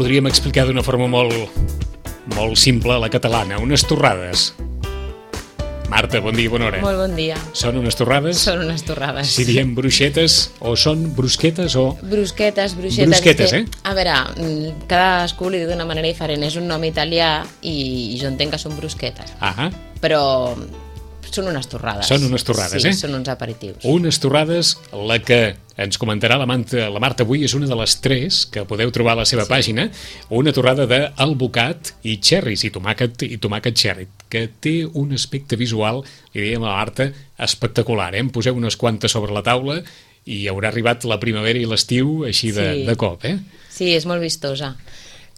podríem explicar d'una forma molt simple a la catalana, unes torrades. Marta, bon dia, bona hora. Molt bon dia. Són unes torrades? Són unes torrades. Si diem bruixetes, o són brusquetes o... Brusquetes. Brusquetes, A veure, cadascú li diu d'una manera diferent. És un nom italià i jo entenc que són brusquetes. Ah. Però són unes torrades. Són unes torrades, sí, són uns aperitius. Unes torrades, la que ens comentarà la Marta avui és una de les 3 que podeu trobar a la seva pàgina, una torrada d'alvocat i cherries, i tomàquet cherry, que té un aspecte visual, li dèiem a la Marta, espectacular. En poseu unes quantes sobre la taula i haurà arribat la primavera i l'estiu així de cop, Sí, és molt vistosa.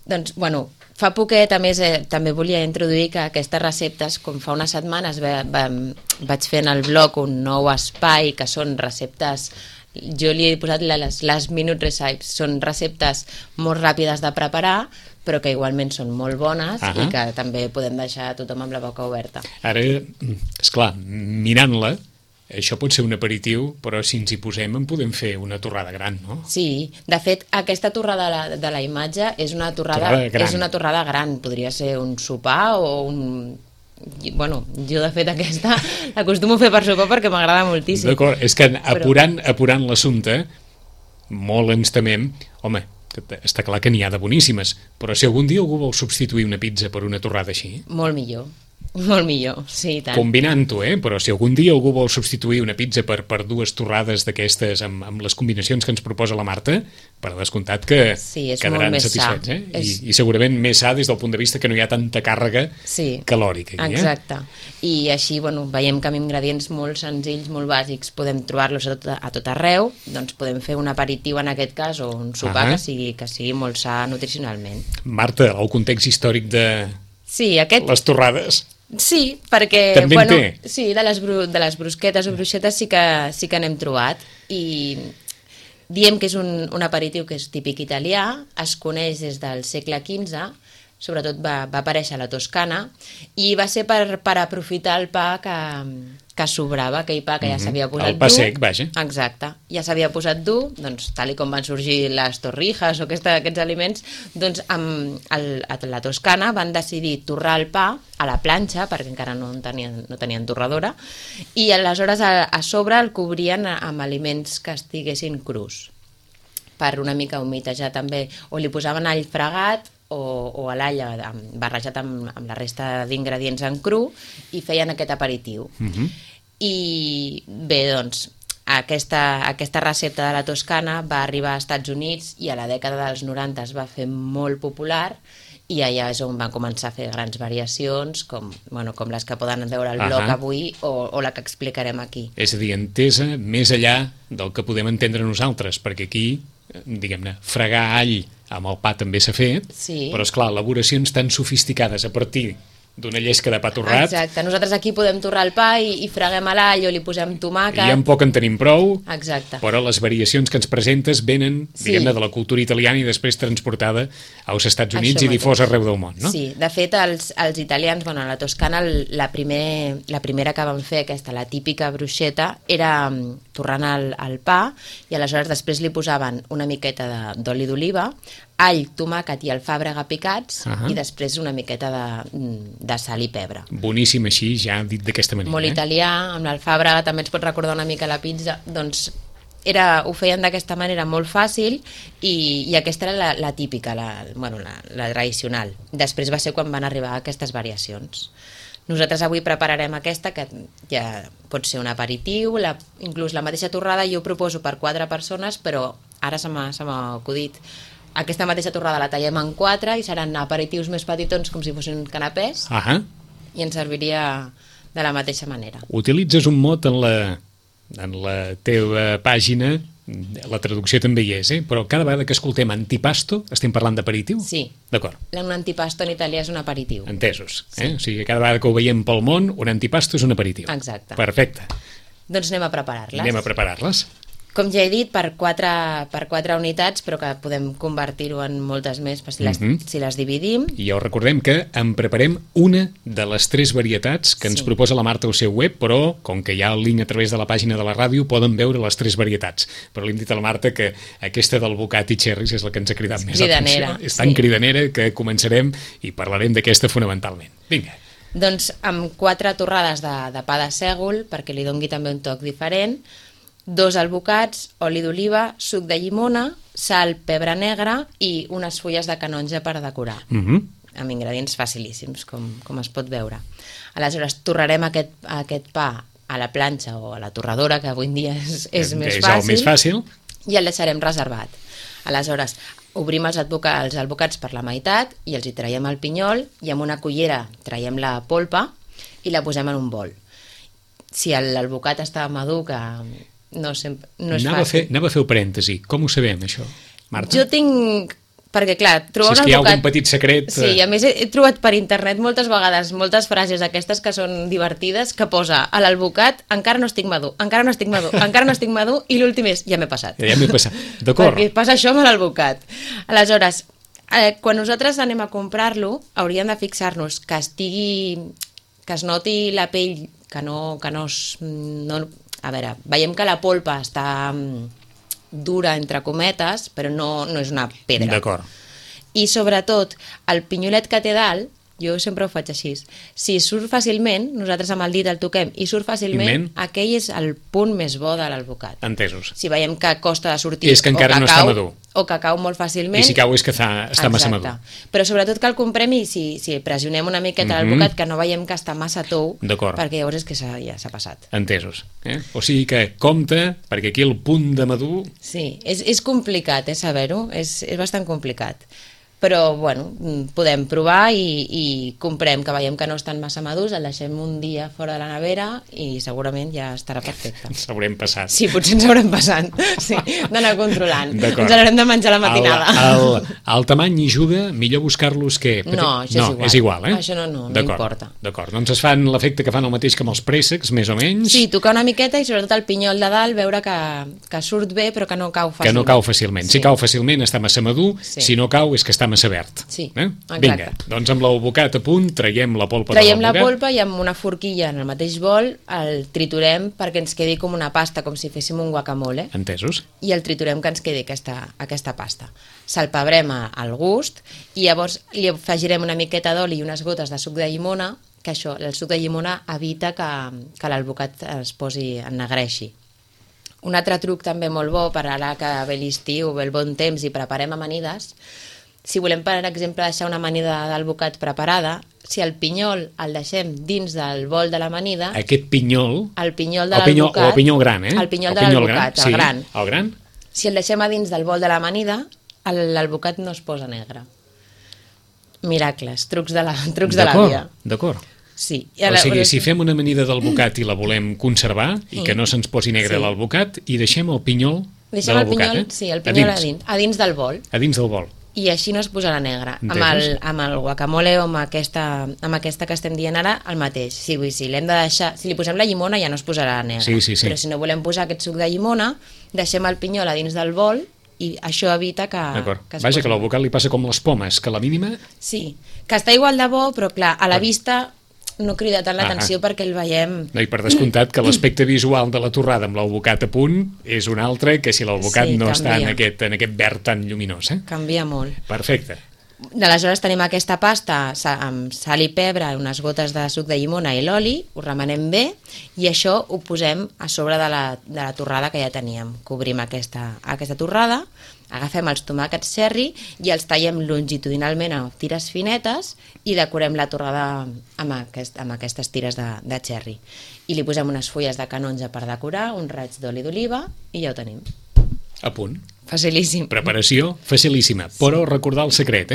Doncs, bueno, fa poquet, a més, també volia introduir que aquestes receptes, com fa unes setmanes vaig fer en el blog un nou espai que són receptes, jo li he posat les last minute recipes, són receptes molt ràpides de preparar, però que igualment són molt bones i que també podem deixar tothom amb la boca oberta. Ara, esclar, mirant-la, això pot ser un aperitiu, però si ens hi posem en podem fer una torrada gran, no? Sí, de fet, aquesta torrada de la imatge és una torrada gran. Podria ser un sopar o un... Bueno, jo de fet aquesta l'acostumo a fer per sopar perquè m'agrada moltíssim. D'acord, és que apurant l'assumpte, molt ens temem, home, està clar que n'hi ha de boníssimes, però si algun dia algú vol substituir una pizza per una torrada així... Molt millor. Molt millor, sí, tant. Combinant-ho, però si algun dia algú vol substituir una pizza per 2 torrades d'aquestes amb les combinacions que ens proposa la Marta, per descomptat que quedaran satisfets. I segurament més sa des del punt de vista que no hi ha tanta càrrega calòrica. Exacte. I així, bueno, veiem que amb ingredients molt senzills, molt bàsics, podem trobar-los a tot arreu, doncs podem fer un aperitiu en aquest cas, o un sopar que sigui molt sa nutricionalment. Marta, el context històric de les torrades... Sí, perquè també de les brusquetes o bruixetes sí que n'hem trobat i diem que és un aperitiu que és típic italià, es coneix des del segle XV, sobretot va aparèixer a la Toscana i va ser per aprofitar el pa que sobrava, aquell pa que ja s'havia posat dur. El pa sec, vaja. Exacte, ja s'havia posat dur, doncs tal com van sorgir les torrijas o aquests aliments, doncs a la Toscana van decidir torrar el pa a la planxa, perquè encara no tenien torradora, i aleshores a sobre el cobrien amb aliments que estiguessin crus, per una mica humitejar també, o li posaven all fregat, o a l'all barrejat amb la resta d'ingredients en cru i feien aquest aperitiu. I bé, doncs, aquesta recepta de la Toscana va arribar als Estats Units i a la dècada dels 90 es va fer molt popular i allà és on van començar a fer grans variacions, com les que poden veure al blog avui o la que explicarem aquí. És a dir, entesa més enllà del que podem entendre nosaltres, perquè aquí, diguem-ne, fregar all amb el pa també s'ha fet, però esclar, elaboracions tan sofisticades a partir d'una llesca de pa torrat... Exacte, nosaltres aquí podem torrar el pa i freguem a l'all o li posem tomàquet... I en poc en tenim prou, exacte, però les variacions que ens presentes venen, diguem-ne, de la cultura italiana i després transportada als Estats Units i difosa arreu del món, no? Sí, de fet, els italians, a la Toscana, la primera que van fer, la típica bruixeta, era torrant el pa i aleshores després li posaven una miqueta d'oli d'oliva, all, tomàquet i alfàbrega picats i després una miqueta de sal i pebre. Boníssim així, ja dit d'aquesta manera. Molt italià, amb l'alfàbrega també ens pot recordar una mica la pizza, doncs ho feien d'aquesta manera molt fàcil i aquesta era la típica, la tradicional. Després va ser quan van arribar aquestes variacions. Nosaltres avui prepararem aquesta, que ja pot ser un aperitiu, inclús la mateixa torrada jo ho proposo per 4 persones, però ara se m'ha acudit. Aquesta mateixa torrada la tallem en 4 i seran aperitius més petitons com si fossin canapès i ens serviria de la mateixa manera. Utilitzes un mot en la teva pàgina, la traducció també hi és, però cada vegada que escoltem antipasto estem parlant d'aperitiu? Sí. D'acord. Un antipasto en italià és un aperitiu. Entesos. O sigui, cada vegada que ho veiem pel món, un antipasto és un aperitiu. Exacte. Perfecte. Doncs anem a preparar-les. Anem a preparar-les. Com ja he dit, per 4 unitats, però que podem convertir-ho en moltes més si les dividim. I ja us recordem que en preparem una de les 3 varietats que ens proposa la Marta al seu web, però com que hi ha el link a través de la pàgina de la ràdio, poden veure les 3 varietats. Però li hem dit a la Marta que aquesta del Bocat i Cherries és la que ens ha cridat més atenció. És tan cridanera que començarem i parlarem d'aquesta fonamentalment. Vinga. Doncs amb 4 torrades de pa de sègol, perquè li dongui també un toc diferent, 2 albocats, oli d'oliva, suc de llimona, sal, pebre negre i unes fulles de canonja per decorar. Amb ingredients facilíssims, com es pot veure. Aleshores, torrarem aquest pa a la planxa o a la torradora, que avui en dia és més fàcil, i el deixarem reservat. Aleshores, obrim els albocats per la meitat i els hi traiem el pinyol i amb una cullera traiem la polpa i la posem en un bol. Si l'albocat està madur, que no és fàcil. Anava a fer un parèntesi. Com ho sabem, això, Marta? Jo tinc... Perquè, clar, trobar un albocat... Si és que hi ha algun petit secret... Sí, a més he trobat per internet moltes vegades moltes frases aquestes que són divertides, que posa a l'albocat encara no estic madur, encara no estic madur, encara no estic madur, i l'últim és ja m'he passat. Ja m'he passat, d'acord. Perquè passa això amb l'albocat. Aleshores, quan nosaltres anem a comprar-lo, hauríem de fixar-nos que es noti la pell, que no a veure, veiem que la polpa està dura, entre cometes, però no és una pedra. D'acord. I sobretot, el pinyolet que té dalt, jo sempre ho faig així, si surt fàcilment, nosaltres amb el dit el toquem i surt fàcilment, aquell és el punt més bo de l'albocat. Entesos. Si veiem que costa de sortir és que encara no està madur. O que cau molt fàcilment... I si cau és que està massa madur. Però sobretot que el comprem i si pressionem una miqueta l'albocat, que no veiem que està massa tou, perquè llavors és que ja s'ha passat. Entesos. O sigui que compte, perquè aquí el punt de madur... Sí, és complicat, saber-ho, és bastant complicat. Però, bueno, podem provar i comprem que veiem que no estan massa madurs, el deixem un dia fora de la nevera i segurament ja estarà perfecte. S'haurem passat. Sí, potser ens haurem passat, sí, d'anar controlant. Ens haurem de menjar la matinada. El tamany hi juga, millor buscar-los que... No, això és igual. Això no importa. D'acord, doncs es fan l'efecte que fan el mateix que amb els préssecs, més o menys. Sí, tocar una miqueta i sobretot el pinyol de dalt, veure que surt bé però que no cau fàcilment. Que no cau fàcilment. Si cau fàcilment està massa madur, si no cau és que està massa verd. Sí, exacte. Vinga, doncs amb l'albocat a punt traiem la polpa de l'albocat. Traiem la polpa i amb una forquilla en el mateix bol el triturem perquè ens quedi com una pasta, com si féssim un guacamole. Entesos. I el triturem que ens quedi aquesta pasta. Salpebrem al gust i llavors li afegirem una miqueta d'oli i unes gotes de suc de llimona, que això, el suc de llimona evita que l'albocat es ennegreixi. Un altre truc també molt bo per ara que ve l'estiu, ve el bon temps i preparem amanides. Si volem, per exemple, deixar una amanida d'albocat preparada, si el pinyol el deixem dins del bol de l'amanida... Aquest pinyol... El pinyol de l'albocat... O el pinyol gran, El pinyol de l'albocat, el gran. El gran? Si el deixem a dins del bol de l'amanida, l'albocat no es posa negre. Miracles, trucs de l'àvia. D'acord. Sí. O sigui, si fem una amanida d'albocat i la volem conservar i que no se'ns posi negre l'albocat i deixem el pinyol de l'albocat, Sí, el pinyol a dins del bol. A dins del bol. I així no es posarà negre. Amb el guacamole o amb aquesta que estem dient ara, el mateix. Si l'hem de deixar, si li posem la llimona ja no es posarà negre. Sí. Però si no volem posar aquest suc de llimona, deixem el pinyol a dins del bol i això evita que Vaja, que l'albocat li passa com les pomes, que a la mínima... Sí, que està igual de bo, però clar, a la vista no crida tant l'atenció perquè el veiem... No, i per descomptat que l'aspecte visual de la torrada amb l'albocat a punt és un altre que si l'albocat no està en aquest verd tan lluminós. Canvia molt. Perfecte. Aleshores tenim aquesta pasta amb sal i pebre, unes gotes de suc de llimona i l'oli, ho remenem bé i això ho posem a sobre de la torrada que ja teníem. Cobrim aquesta torrada, agafem els tomàquets cherry i els tallem longitudinalment a tires finetes i decorem la torrada amb aquestes tires de cherry. I li posem unes fulles de canonja per decorar, un raig d'oli d'oliva i ja ho tenim. A punt. Facilíssim. Preparació facilíssima, però recordar el secret,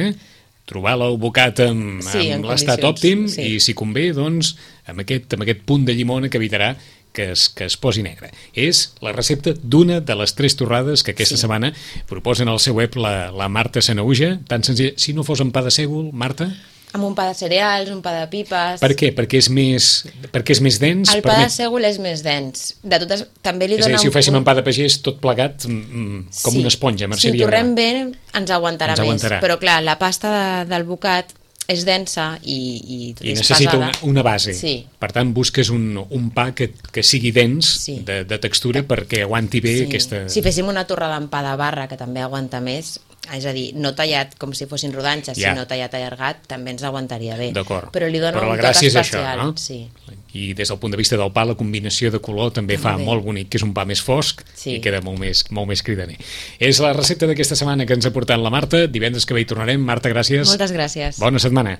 trobar l'albocat amb l'estat òptim i si convé, doncs, amb aquest punt de llimona que evitarà que es posi negre. És la recepta d'una de les 3 torrades que aquesta setmana proposen al seu web la Marta Sanahuja. Tan senzill. Si no fos amb pa de sègol, Marta? Amb un pa de cereals, un pa de pipes... Per què? Perquè és més dens? El pa de sègol és més dens. De totes, també li és a dona dir, si ho féssim amb pa de pagès, tot plegat, com una esponja, Si ho torrem bé, ens aguantarà més. Però clar, la pasta del bocat és densa i necessita una base. Sí. Per tant, busques un pa que sigui dens de textura perquè aguanti bé aquesta... Si féssim una torrada amb pa de barra, que també aguanta més, és a dir, no tallat com si fossin rodanxes, sinó tallat allargat, també ens aguantaria bé. D'acord. Però li dona un toc especial. Això, no? Sí. I des del punt de vista del pa, la combinació de color també fa molt bonic, que és un pa més fosc i queda molt més cridaner. És la recepta d'aquesta setmana que ens ha portat la Marta. Divendres que ve hi tornarem. Marta, gràcies. Moltes gràcies. Bona setmana.